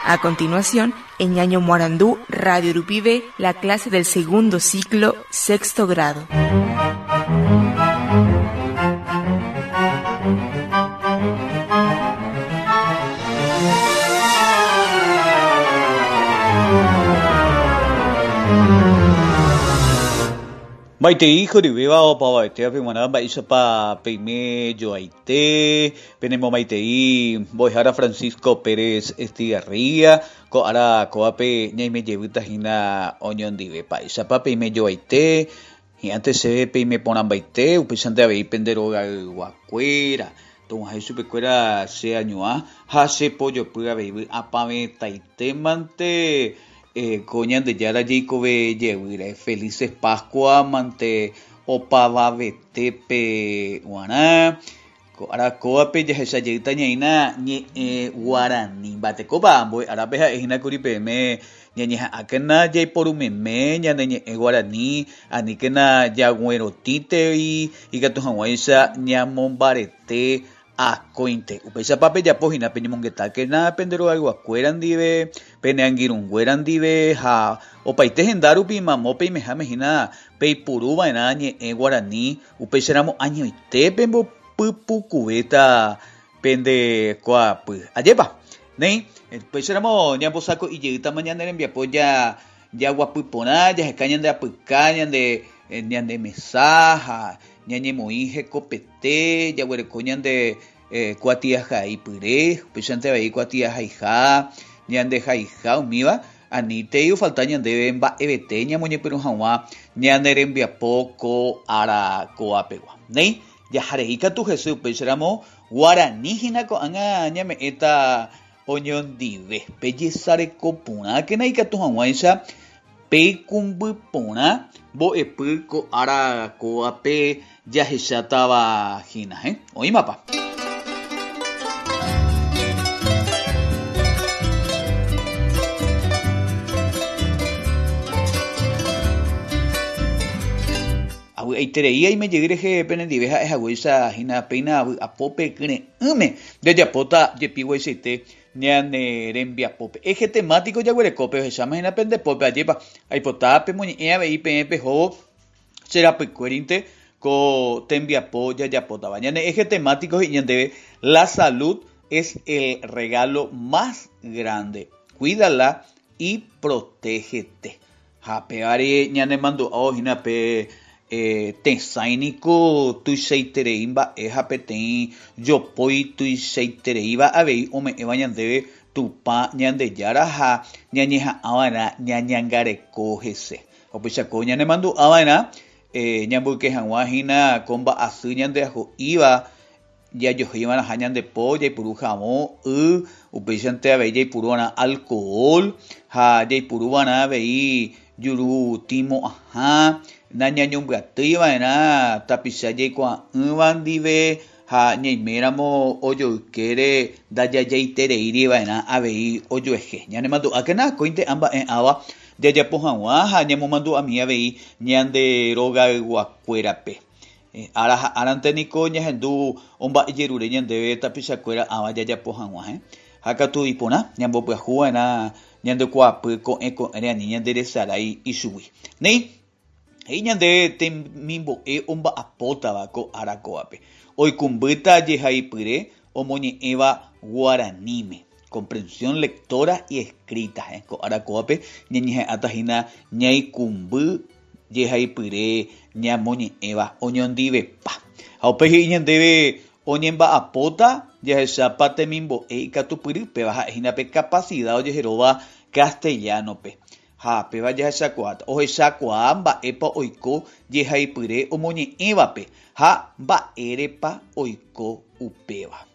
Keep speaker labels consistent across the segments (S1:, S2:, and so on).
S1: A continuación, en Ñaño Morandú, Radio Rupibe, la clase del segundo ciclo, sexto grado.
S2: Maitei horyvéva opavavetévape g̃uarã mba'éichapa peime joaite, penemomaitei mbo'ehára Francisco Pérez Estigarribia, ko ára kóvape ñaime jevýta hína oñondive. Mba'éichapa peime joaite, hi'ãnte chéve peime porãmbaite, upéichante avei pende rogayguakuéra, tog̃uahẽ chupekuéra che añuã ha che pojopy avei vy'apavẽtaitémante Ko Ñandejára jeikove jevýre. Felices Pascua mante opavavetépe g̃uarã. Ko ára kóvape jahecha jeýta ñaína ñe'ẽ guarani. Mba'etekópa ambue árape ha'e hína kuri peẽme ñañeha'ãkena jaiporumeme ñane ñe'ẽ guarani, aníkena jaguerotĩtei ikatu hag̃uáicha ñamombarete Akóinte. Upéichapa pejapo hína peñemongetákena pende rogayguakuéra ndive, pene angirũnguéra ndive ha opaite henda rupi mamo peimeháme hína peipuru va'erã ñe'ẽ guarani, upéicharamo añoite pembopypukuvéta pende kuaapy. Ajépa! Néi, upéicharamo ñambosako'i jeýtama ñane rembiapo jaguapy porã, jaheka ñande apyka, ñande ñande mesa ha ñañemoĩ hekopete, jaguereko ñande kuatiahaipyre, upéichante avei kuatiahaiha, ñande haiha umíva, anítei ofalta ñandéve mba'evete ñamoñepyrũ hag̃ua ñane rembiapo ko ára ko'ápegua. Néi, jaharei katu hese upéicharamo guarani hína ko'ág̃a ñame'ẽta oñondive. Pejesareko porãkena ikatu hag̃uáicha peikũmby porã mbo'epy ko ára kóvape jahechátava hína. Oĩmapa? Avy'aiterei aime jey rehe penendive ha'e haguéicha hína péina vy'apópe kyre'ỹme jajapóta jepi guaichaite ñane rembiapópe. Eje temático jaguerekópe ohecháma hína pende pópe ajépa aipota pemoñe'ẽ avei peẽ pehóvo che rapykuérinte ko tembiapo jajapótava. Ñane eje temático he'i ñandéve la salud es el regalo más grande, cuídala y protégete. Ha pévare ñanemandu'ávo hína pe tesãi niko tuichaiterei mba'e ha peteĩ jopói tuichaitereíva avei ome'ẽva ñandéve Tupã Ñandejára ha ñañeha'ã va'erã ñañangareko hese. Ha upeichako ñanemandu'a va'erã ñamboyke hag̃ua hína ko mba'asy ñandeaho'íva Jajohéiva'erãha ñande po, jaipuru havõ, y, upéichante avei jaipuruva'erã alcohol ha jaipuruva'erã avei juru tĩ mo'ãha, nañañombyatyiva'erã tapicha jaikuaa'ỹva ndive ha ñaiméramo ojoykére ndajajaitereíriva'erã avei ojuehe. Ñanemandu'ákena akóinte ã mba'e ãva jajapo hag̃ua ha ñamomandu'ami avei ñande rogayguakuérape. Ára ha árante niko ñahendu omba'ejerure ñandéve tapichakuéra ãva jajapo hag̃ua. Ha katu iporã ñambopyahu va'erã ñande kuaapy ko'ẽ ko'ẽre ani ñande resarái ichugui. Néi, he'i ñande temimbo'e omba'apótava ko ára kóvape, oikũmbýta jehaipyre omoñe'ẽva guaraníme, comprensión lectora y escrita. Ko ára kóvape ñañeha'ãta hína ñaikũmby jehaipyre ñamoñe'ẽva oñondivepa. Ha upéi he'i ñandéve oñemba'apóta jahechápa temimbo'e ikatupyry, péva ha'e hína pe kapasida ojeheróva castellano-pe. Ha péva jahechakuaáta, ohechakuaa mba'épa oiko jehaipyre omoñe'ẽvape ha mba'érepa oiko upéva.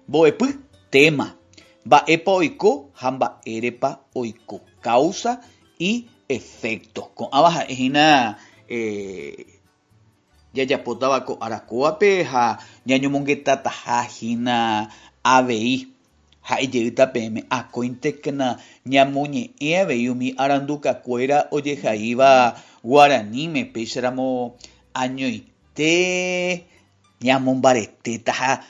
S2: Mbo'epy, tema, Mba'épa oiko ha mba'érepa oiko, causa y efecto. Ko'ãva ha'e hína jajapótava ko ára kóvape ha ñañomongetataha hína avei. Ha'e jeýta peẽme akóintekena ñamoñe'ẽ avei umi arandukakuéra ojehaíva guaraníme, péicharamo añoite ñamombaretéta ha.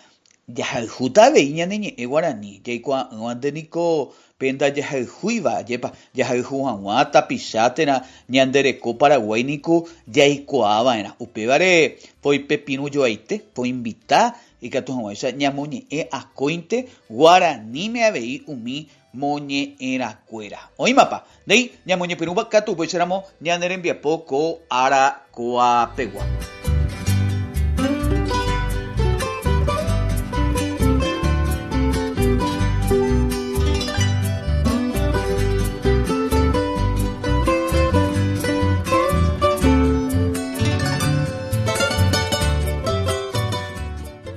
S2: Jahayhúta avei ñane ñe'ẽ guarani, jaikuaa'ỹvante niko pe ndajahayhúiva, ajépa, jahayhu hag̃ua tapicha térã ñande reko Paraguái niko jaikuaava'erã. Upévare poipepirũjoaite, poinvita ikatu hag̃uáicha ñamoñe'ẽ akóinte guaraníme avei umi moñe'ẽrãkuéra. Oĩmapa? Néi, ñamoñepyrũva katu upéicharamo ñane rembiapo ko ára ko'apegua.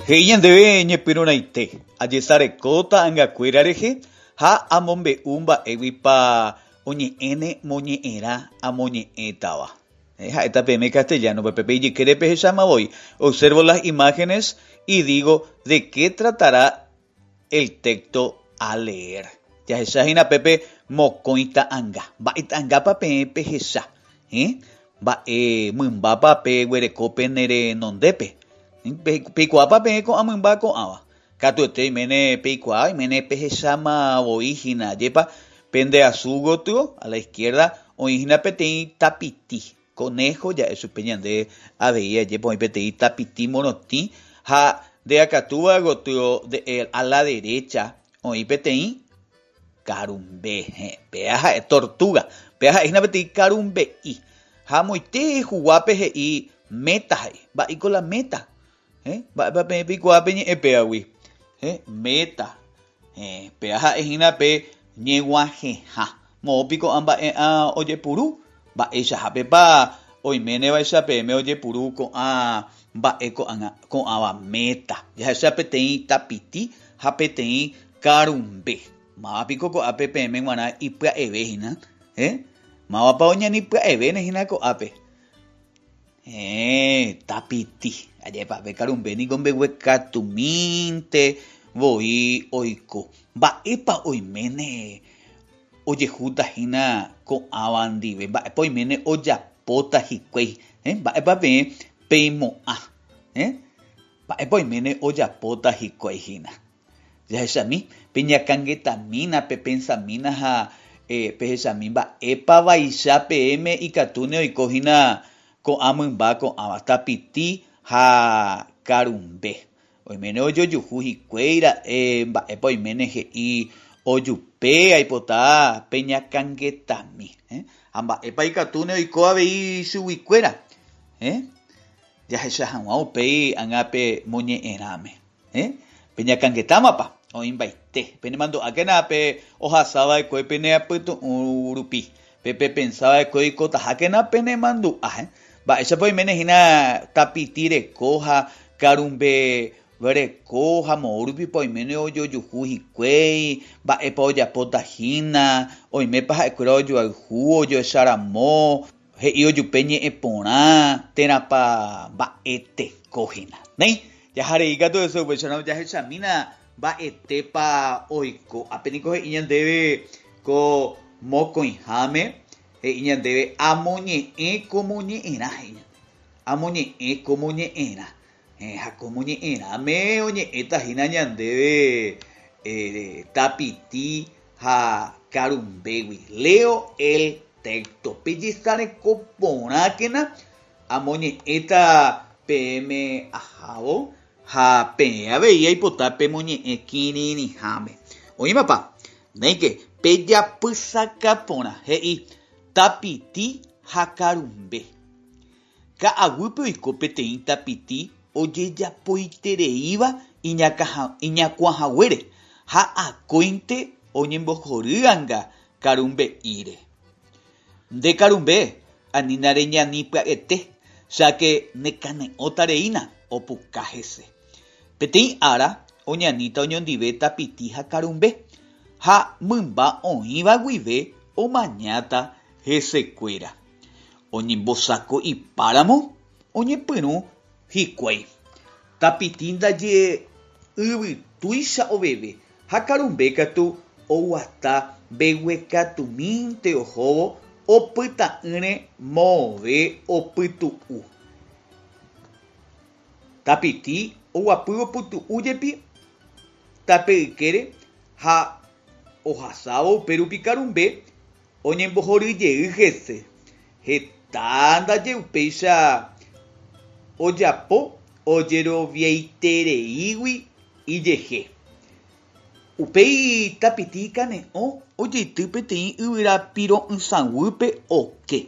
S2: He'i ñandéve ñepyrũrãite, ajesareko ta'angakuéra rehe Ha amombe'u mba'éguipa oñe'ẽne moñe'ẽrã amoñe'ẽtava. Ha'éta peẽme castellano-pe, pepe ijykére pehecháma voi. Observo las imágenes y digo de qué tratará el texto a leer. Jahecha hína pépe mokõi ta'anga. Mba'e ta'angápa peẽ pehecha? Mba'e mymbápa peguereko pene renondépe? Peikuaápa peẽ ko'ã mymba ko'ãva? Katuete oiméne peikuaa, oiméne pehecháma voi hína, ajépa pende asu gotyo, a la izquierda, oĩ hína peteĩ tapiti, conejo ja'e chupe ñande avei, ajépa oĩ peteĩ tapiti morotĩ, ha nde akatúva gotyo, de a la derecha, oĩ peteĩ karumbe, heẽ, péa ha'e tortuga, péa ha'e hína peteĩ karumbe'i, ha amoite huguápe he'i meta he'i, mba'éiko la meta? Héẽ, mba'épa peẽ peikuaa pe ñe'ẽ péagui? Héẽ, meta. Héẽ, péa ha'e hína pe ñeguahẽha. Moõ piko ko'ã mba'e'ã ojepuru? Mba'eichahápepa oiménevaicha peẽme ojepuru ko'ã mba'e ko'ág̃a ko'ãva meta? Jahecha peteĩ tapiti ha peteĩ karumbe. Máva piko ko'ápe peẽme g̃uarã ipya'eve hína? Héẽ, mávapa oñani pya'evéne hína ko'ápe? Héẽ, tapiti. Ajépa, pe karumbe niko mbeguekatumínte voi oiko. Mba'épa oiméne ojehúta hína ko'ãva ndive? Mba'épa oiméne ojapóta hikuái? Héẽ, mba'épa peẽ peimo'ã? Héẽ, mba'épa oiméne ojapóta hikuái hína? Jahechami, peñakãngetamína, pepensamína ha pehechami mba'épa vaicha peẽme ikatúne oiko hína ko'ã mymba ko'ãva, tapiti ha karumbe. Oiméne ojojuhu hikuái ra'e mba'épa oiméne he'i ojupe aipota peñakãngetami. Ha mba'épa ikatúne oiko avei chuguikuéra jahecha hag̃ua upéi ág̃a pe moñe'ẽrãme. Héẽ, peñakãngetámapa? Oĩmbaite. Penemandu'ákena pe ohasa va'ekue pene apytu'ũ rupi, pe pepensa va'ekue oikotahákena penemandu'a. Héẽ, mba'éichapa oiméne hína tapiti reko ha karumbe reko ha moõ rupipa oiméne ojojuhu hikuái, mba'épa ojapóta hína, oimépa ha'ekuéra ojoayhu, ojoecharamo, He'i ojupe ñe'ẽ porã térãpa mba'eteko hína. Néi, jaharei katu hese upéicharõ jahechamína mba'etépa oiko. Ápe niko he'i ñandéve ko mokõiháme, he'i ñandéve amoñe'ẽ ko moñe'ẽrã, he'i ñandéve. Amoñe'ẽ ko moñe'ẽrã. Héẽ, ha ko moñe'ẽrãme oñe'ẽta hína ñandéve tapiti ha karumbégui. Leo el texto. Pejesareko porãkena, amoñe'ẽta peẽme ahávo ha peẽ avei aipota pemoñe'ẽ kirirĩháme. Oĩmapa? Néike, pejapysaka porã, he'i tapiti ha karumbe. Ka'aguýpe oiko peteĩ tapiti ojejapoitereíva iñakuãhaguére ha akóinte oñembohory'anga karumbe'íre. Nde karumbe, anína reñani pya'ete, cháke nekane'õta reína, opuka hese. Peteĩ ára oñaníta oñondive tapiti ha karumbe, ha mymba oĩva guive omañáta hesekuéra. Oñembosako'ipáramo oñepyrũ hikuái. Tapiti ndaje yvytúicha oveve ha karumbe katu oguata mbeguekatumínte ohóvo opyta'ỹre moõve opytu'u. Tapiti oguapy opytu'u jepi. tape ykére ha ohasávo upérupi karumbe oñembohoryjey hese. Heta ndaje upéicha ojapo ojeroviaitereígui ijehe. Upéi tapiti ikane'õ ojeity peteĩ yvyra piro'ysãguýpe oke,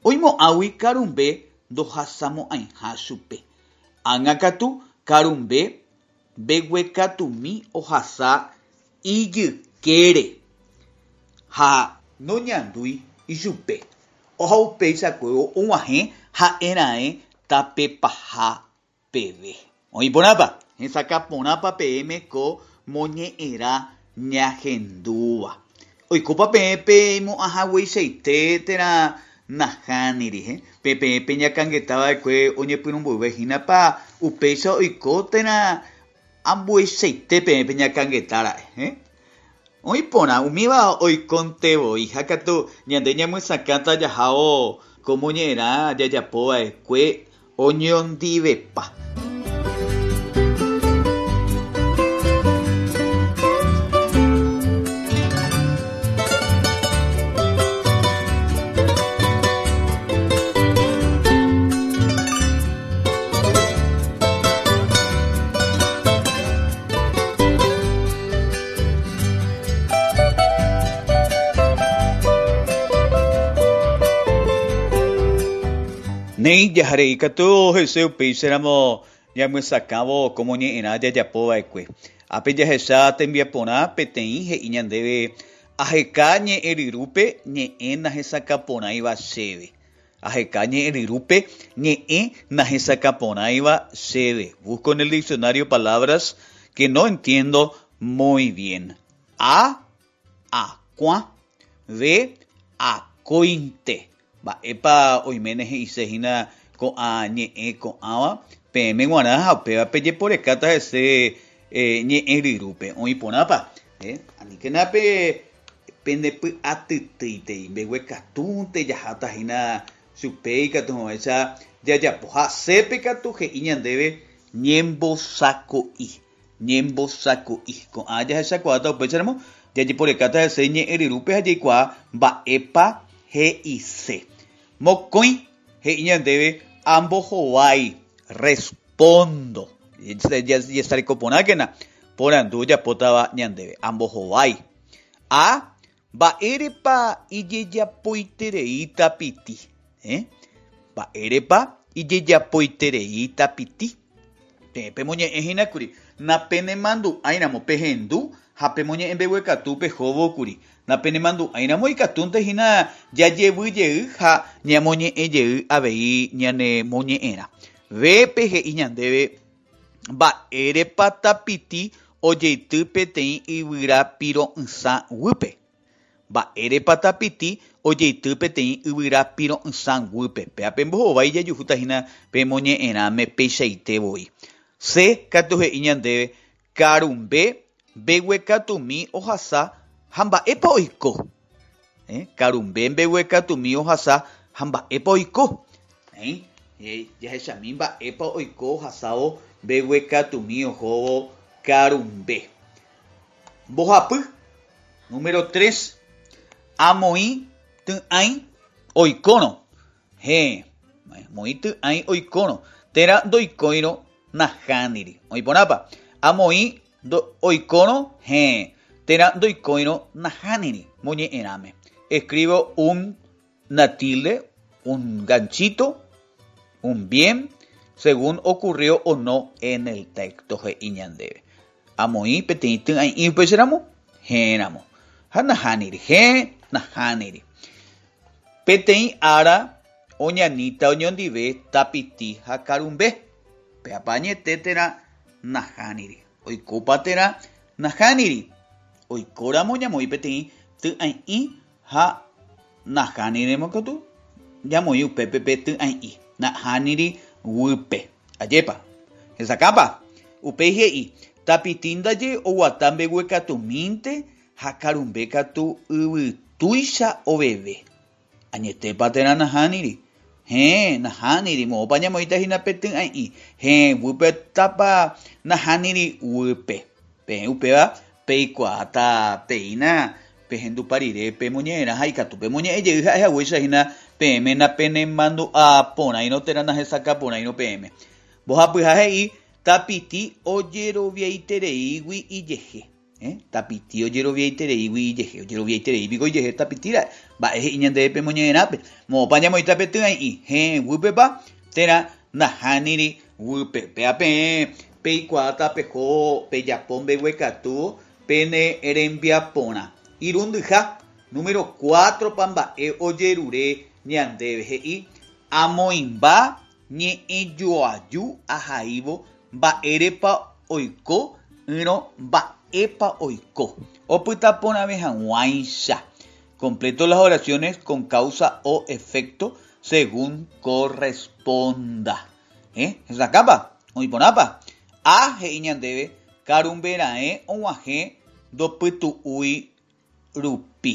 S2: oimo'ãgui karumbe ndohasamo'ãiha chupe. Ág̃a katu karumbe mbeguekatumi ohasa ijykére ha noñandúi ichupe. Ha upeichakuévo og̃uahẽ ha'eraẽ tape paha peve. Oĩ porãpa? Hesakã porãpa peẽme ko moñe'ẽrã ñahendúva? Oikópa peẽ peimo'ãhagueichaite térã nahániri? Pe peẽ peñakãngeta va'ekue oñepyrũ mboyve hínapa upéicha oiko térã ambueichaite peẽ peñakãngeta ra'e? Oĩ porã, umíva oikónte voi, ha katu ñande ñamyesakãta jahávo ko moñe'ẽrã jajapo va'ekue oñondivepa. Néi, jaharei katu hese upéicharamo ñamyesakãvo ko moñe'ẽrã jajapo va'ekue. Ápe jahecha tembiaporã peteĩ he'i ñandéve aheka ñe'ẽryrúpe ñe'ẽ nahesakãporãiva chéve. Aheka ñe'ẽryrúpe ñe'ẽ nahesakãporãiva chéve. Busco en el diccionario palabras que no entiendo muy bien. A. Akuã. B. Akóinte. Mba'épa oiméne he'ise hína ko'ã ñe'ẽ ko'ãva peẽme g̃uarã ha upéva pejeporekáta hese ñe'ẽryrúpe. Oĩ porãpa? Aníkena pe Pendepy'atytýitei mbeguekatúnte jaháta hína chupe ikatu hag̃uáicha jajapo. Ha sépe katu he'i ñandéve ñembosako'i, ñembosako'i. Ko'ã jahechakuaáta upéicharamo jajeporekáta hese ñe'ẽryrúpe ha jaikuaa mba'épa he'ise. Mokõi he'i ñandéve ambohovái, respondo. Jesareko porãkena porandu ojapótava ñandéve, ambohovái. A. Mba'érepa ijejapoiterei tapiti? Eh? Mba'érepa ijejapoiterei tapiti? Peẽ pemoñe'ẽ hína kuri, napenemandu'áiramo pehendu ha pemoñe'ẽ mbeguekatu pehóvo kuri. Napenemandu'áiramo ikatúnte hína jajevy jey ha ñamoñe'ẽ jey avei ñane moñe'ẽrã. B. Pe he'i ñandéve Mba'érepa tapiti ojeity peteĩ yvyra piro'ysã guýpe? Mba'érepa tapiti ojeity peteĩ yvyra piro'ysã guýpe? Péva pe mbohovái jajuhúta hína pe moñe'ẽrãme peichaite voi. C katu he'i ñandéve, Karumbe mbeguekatumi ohasa ha mba'épa oiko? Karumbe mbeguekatumi ohasa ha mba'épa oiko? Jahechami mba'épa oiko ohasávo mbeguekatumi ohóvo karumbe. Mbohapy, Número tres, Amoĩ ty'ãi oikórõ. Héẽ, amoĩ ty'ãi oikórõ, térã ndoikóirõ nahániri. Oĩ porãpa? Amoĩ oikórõ, héẽ, térã ndoikóirõ nahániri moñe'ẽrãme. Escribo un una tilde, un ganchito, un bien, según ocurrió o no en el texto he'i ñandéve. Amoĩ peteĩ ty'ãi'ĩ upéicharamo, héẽramo. Ha nahániri, héẽ, nahániri. Peteĩ ára oñaníta oñondive tapiti ha karumbe. Péapa añete térã nahániri. Oikópa térã nahániri. Oikóramo ñamoĩ peteĩ ty'ãi'ĩ ha nahánirimo katu ñamoĩ upépe pe ty'ãi'i, nahániri guýpe. Ajépa? Hesakãpa? Upéi he'i, Tapiti ndaje oguata mbeguekatumínte ha karumbe katu yvytúicha oveve. Añetépa térã nahániri? Héẽ, nahániri, moõpa ñamoĩta hína pe ty'ãi'i? Héẽ, guýpe tápa nahániri guýpe. Peẽ upéva peikuaáta peína pehendupa rire pemoñe'ẽrã ha ikatu pemoñe'ẽ jey ha'e haguéicha hína peẽme napenemandu'a porãirõ térã nahesakã porãirõ peẽme. Mbohapyha he'i Tapiti ojeroviaitereígui ijehe. Tapiti ojeroviaitereígui ijehe. Ojeroviaiterei piko ijehe tapiti ra'e? Mba'e he'i ñandéve pemoñe'ẽrãpe? Moõpa ñamoĩta pe ty'ãi'i? Héẽ guýpepa térã nahániri guýpe? Péva peẽ peikuaáta peho pejapo mbeguekatúvo pene rembiaporã. Irundyha, número cuatro-pa mba'e ojerure ñandéve he'i, Amoĩmba Ñe'ẽjoaju ahaívo mba'érepa oiko ỹrõ mba'épa oiko, opyta porãve hag̃uáicha. Completo las oraciones con causa o efecto según corresponda. Hesakãpa? Oĩ porãpa? A he'i ñandéve karumbe raẽ og̃uahẽ ndopytu'úi rupi.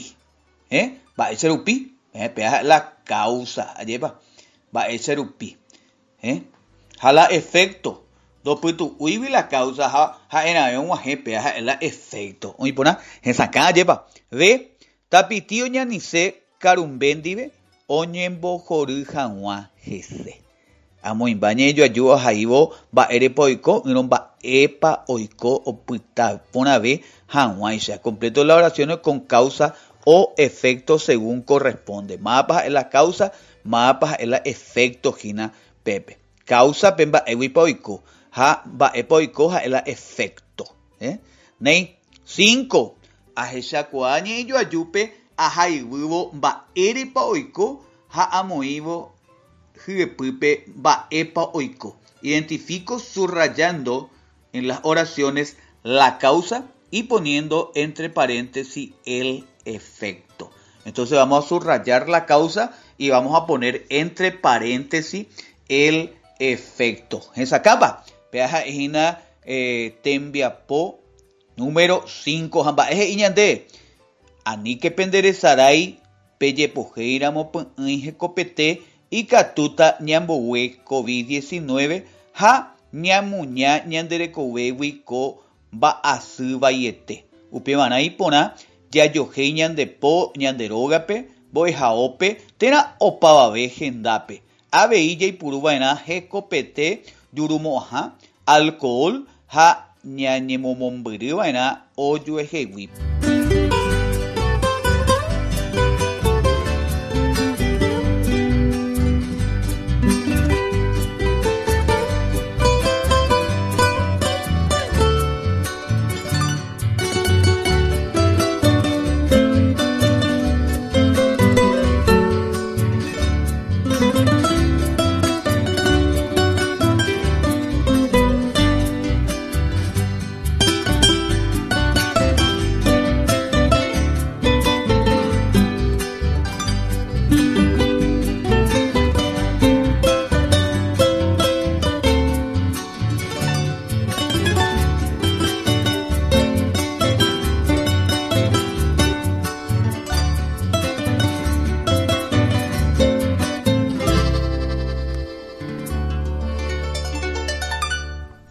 S2: Mba'éicha rupi? Péva ha'e la causa, ajépa? Mba'éicha rupi? Ha la efecto, ndopytu'úigui la causa ha ha'erãve og̃uahẽ, péva ha'e la efecto. Oĩ porã? Hesakã, ajépa? B. Tapiti oñanise karumbe ndive oñembohory hag̃ua hese. Amoĩmba ñe'ẽjoaju ahaívo mba'érepa oiko ỹrõ mba'épa oiko opyta porãve hag̃uáicha. Completo las oraciones con causa o efecto según corresponde. Mávapa ha'e la causa, mávapa ha'e la efecto hína pépe. Causa pe mba'éguipa oiko ha mba'épa oiko ha'e la efecto. Néi. Cinco. Ahechakuaa ñe'ẽjoajúpe ahaiguývo mba'érepa oiko ha amoĩvo hyepýpe mba'épa oiko. Identifico subrayando en las oraciones la causa y poniendo entre paréntesis el efecto. Entonces vamos a subrayar la causa y vamos a poner entre paréntesis el efecto. Hesakãpa? Péva ha'e hína tembiapo número 5. Ha mba'e he'i ñande? Aníke penderesarái Pejepohéiramo py'ỹi hekopete ikatúta ñambogue Covid 19 ha ñamuña ñande rekovégui ko mba'asy vaiete. Upevarã iporã jajohéi ñande po ñande rógape, mbo'ehaópe térã opavave hendápe. Avei jaipuru va'erã hekopete jurumo'ãha, alcohol ha ñañemomombyry va'erã ojuehegui.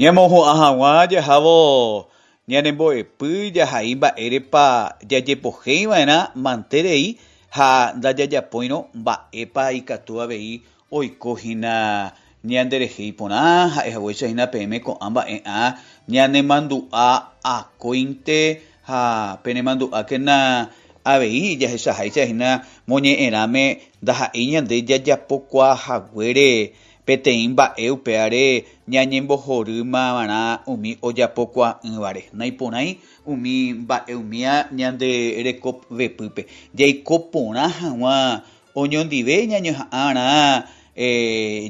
S2: Ñamohu'ã hag̃ua jahávo ñanembo'epy jahai mba'érepa jajepohéiva'erã manterei ha ndajajapóirõ mba'épa ikatu avei oiko hína ñanderehe iporã ha'e haguéicha hína peẽme ko'ã mba'e'ã ñanemandu'a akóinte ha penemandu'ákena avei jahechaháicha hína moñe'ẽrãme ndaha'éi ñande jajapokuaa haguére peteĩ mba'e upévare ñañembohorýmava'erã umi ojapokuaa'ỹvare. Naiporãi umi mba'e umía ñande rekovepýpe jaiko porã hag̃ua Oñondive ñañoha'ãrã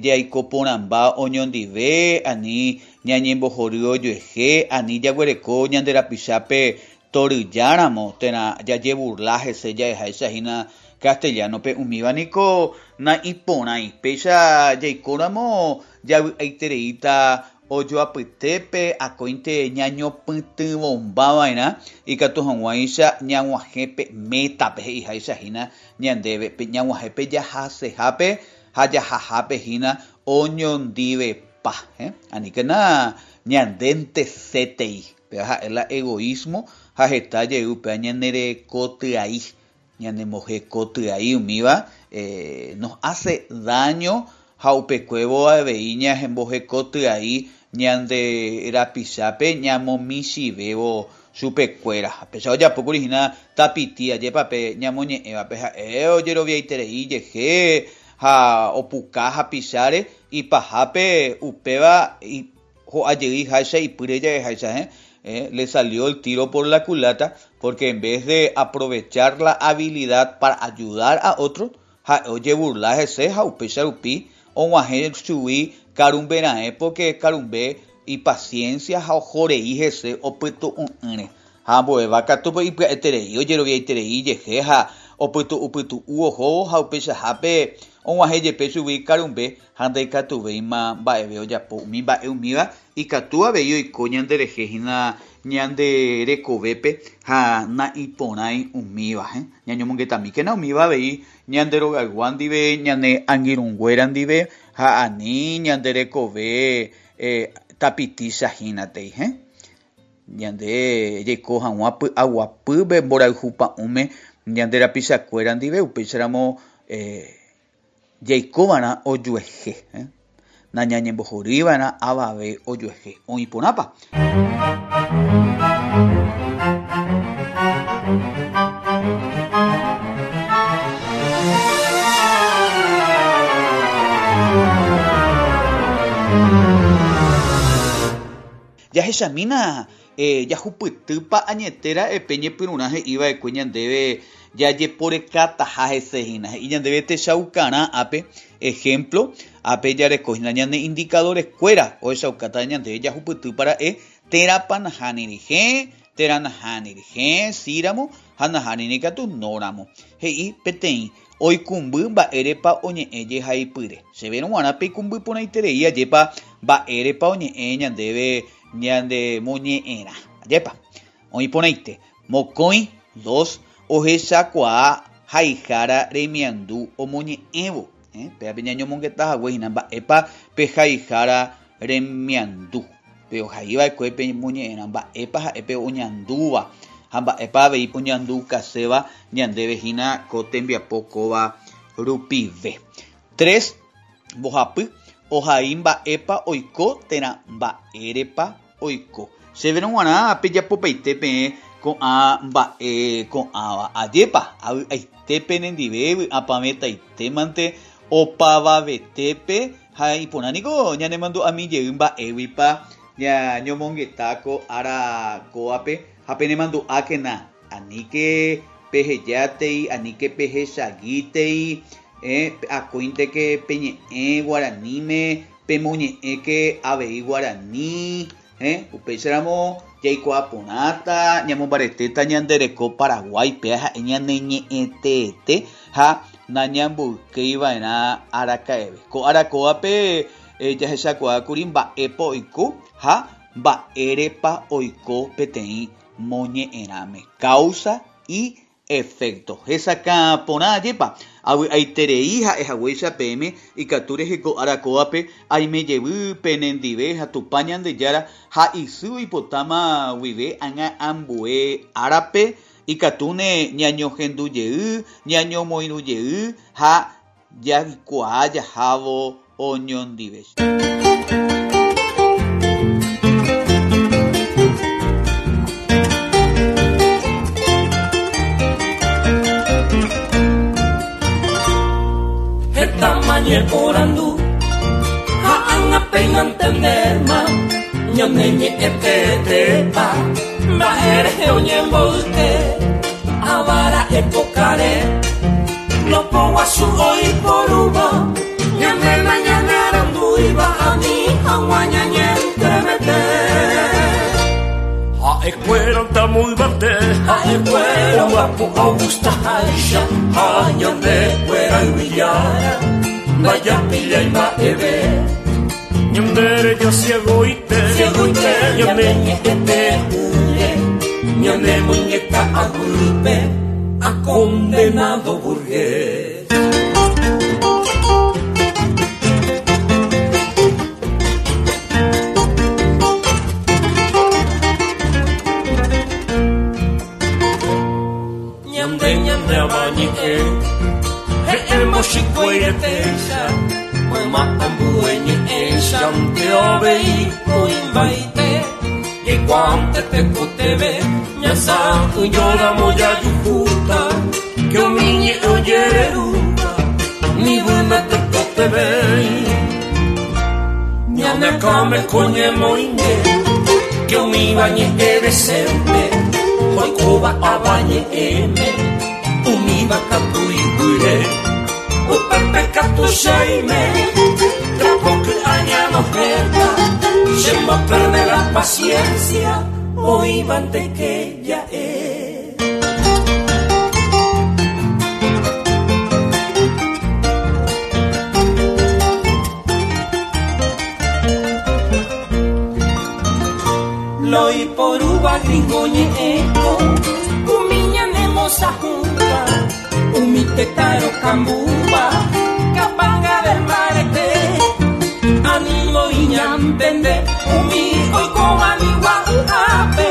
S2: jaiko porãmba oñondive, ani ñañembohory ojuehe, ani jaguereko ñande rapichápe toryjáramo térã jajeburla hese ja'eháicha hína castellano-pe, umíva niko naiporãi. Péicha jaikóramo javy'aitereíta Ojoapytépe akóinte ñañopytyvõmba va'erã ikatu hag̃uáicha ñag̃uahẽ pe métape he'iháicha hína ñandéve, pe ñag̃uahẽ pe jahasehápe ha jahahápe hína oñondivepa. Aníkena ñandénte sétei. Péva ha'e la egoísmo ha heta jey upéva ñanerekotyai, ñanembohekotyai umíva nos hace daño ha upekuévo avei ñahembohekotyai ñande rapichápe ñamomichĩvévo chupekuéra. Ha péicha ojapókuri hína tapiti ajépa pe ñamoñe'ẽvape ha'e ojeroviaiterei ijehe ha opuka hapicháre ipahápe upéva ho'a jey háicha ipýre ja'eháicha he le salió el tiro por la culata porque en vez de aprovechar la habilidad para ayudar a otro ha'e ojeburla hese ha upéicha rupi og̃uahẽ chugui karumbe raẽ porque karumbe ipaciencia ha ohorei hese opytu'u'ỹre. Ha ambuéva katu ipya'eterei ojeroviaiterei ijehe ha opytu'upytu'u ohóvo ha upeichahápe og̃uahẽ jepe chugui karumbe ha ndaikatuvéima mba'eve ojapo. Umi mba'e umíva ikatu avei oiko ñanderehe hína ñande rekovépe ha na'iporãi umíva. Ñañomongetamíkena umíva avei ñande rogaygua ndive, ñane angirũnguéra ndive ha ani ñande rekove tapitícha hínatei. Ñande jaiko hag̃ua py'aguapýpe mborayhu pa'ũme ñande rapichakuéra ndive upéicharamo jaikova'erã ojuehe. Nañañembohorýiva'erã avave ojuehe. Oĩ porãpa. Jahechamína jahupytýpa añete ra'e pe ñepyrũrã he'iva'ekue ñandéve jajeporekataha hese hína. He'i ñandéve techaukarã ápe, ejemplo, ápe jareko hína ñane indicadores-kuéra ohechaukáta ñandéve jahupytýpa ra'e térãpa nahániri hẽ, térã nahániri hẽ, síramo ha nahániri katu nóramo. He'i peteĩ oikũmby mba'érepa oñe'ẽ jehaipyre. Chéverõ g̃uarã peikũmby porãiterei ajépa mba'érepa oñe'ẽ ñandéve ñande moñe'ẽrã. Ajépa. Oĩ porãite. Mokõi, dos, ohechakuaa haihára remiandu omoñe'ẽvo. Pévape ñañomongeta hague hína mba'épa pe haihára remiandu. Pe ohaiva'ekue pe moñe'ẽrã mba'épa ha'e pe oñandúva ha mba'épa avei oñandukaséva ñandéve hína ko tembiapo kóva rupive. Tres, mbohapy, ohai mba'épa oiko térã mba'érepa oiko. Chéverõ g̃uarã pejapopaite peẽ ko'ã mba'e ko'ãva. Ajépa, avy'aite penendive vy'apavẽtaitémante opavavetépe ha iporã niko ñanemandu'ami jey mba'éguipa ñañomongeta ko ára kóvape ha penemandu'ákena aníke pehejátei, aníke pehechagítei, akóinteke peñe'ẽ guaraníme, pemoñe'ẽke avei guarani, upéicharamo jaikuaa porãta, ñamombaretéta ñande reko Paraguáipe ha'e ñaneñe'ẽteete ha nañamboykeiva'erã araka'eve. Ko ára kóvape jahechakuaákuri mba'épa oiko ha mba'érepa oiko peteĩ moñe'ẽrãme. Causa y efecto. Hesakã porã ajépa. Avy'aiterei ha'e haguéicha peẽme ikatu rehe ko ára kóvape aime jevy penendive ha Tupã Ñandejára ha isy oipotáma guive ág̃a ambue árape ikatúne ñañohendu jey, ñañomoirũ jey ha jaikuaa jahávo oñondive.
S3: Heta ñeporandu ha ág̃a péina ntendéma ñane ñe'ẽtetépa mba'érehe oñemboyke avara'e pokare lopoguasu oiporúva ñane nañanearandúiva ani hag̃ua ñañentremete. Ha'ekuéra tamoyvate ha'ekuéra omba'apo ogustaháicha ha ñandekuéra yvyjára ndajapillái mba'eve. Ñandereja ciegoite ciegoite ñane ñe'ẽte'ỹre ñane muñeca aguýpe a condenado burgués. hanguante tekoteve ñasa'ỹjóramo jajuhúta que umi ñe'ẽ ojererúva nivýme tekotevéi ñane akãme ko ñemoinge que umíva ñe'ẽ decente oikóva avañe'ẽme umíva katu ipyre upépe katu cheime trapo ky'a ñanohẽta chemboperde la paciencia oĩvante que ja'e. Loiporúva gringo ñe'ẽko umi ñanemosahúva umi tetã rokambúva kapanga mbarete animo iñantende umi oikóva nigua'yhápe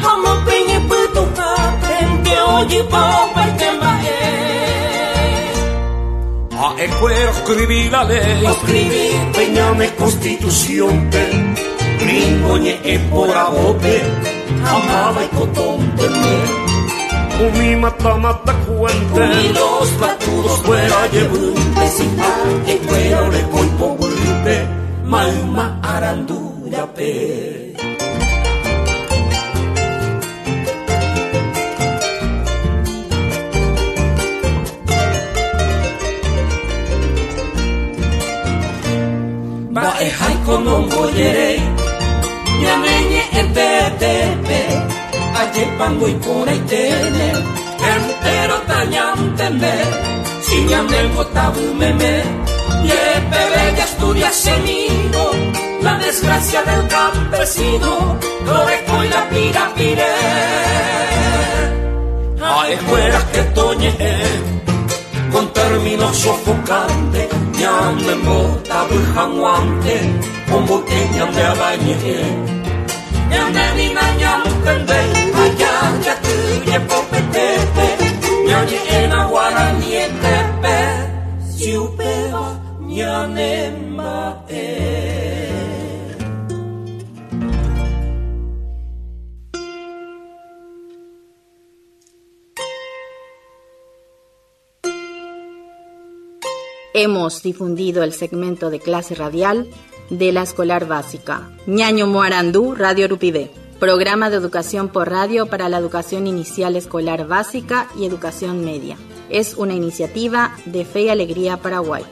S3: ha omopeñepytuhápente ojypa opaite mba'e.
S4: Ha'ekuéra oscribí la ley
S3: Oscribí
S4: pe ñane constitución-pe gringo ñe'ẽ poravópe ha máva ikotónteme umi mata mata cuente
S3: umi los patudos
S4: fuera jevýnte
S3: si ha'ekuéra oreko ipoguýpe mayma arandúrape. Mba'eháiko nombojeréi ñane ñe'ẽ tetépe ajépango iporãiténe entero tañantende si ñanembotavymeme jepeve jaestudiasemíro la desgracia del campesino lorekói la pirapire.
S4: Ha'ekuéra que toñe'ẽ con términos sofocantes ñanembotavy hag̃uánte omboyke ñande avañe'ẽ
S3: ñande nina ñantende allá jaty jepopetépe ñañe'ẽna guaranietépe si upéva ñanemba'e.
S5: Hemos difundido el segmento de clase radial de la escolar básica. Ñaño Moarandú, Radio Rupivé. Programa de educación por radio para la educación inicial escolar básica y educación media. Es una iniciativa de Fe y Alegría Paraguay.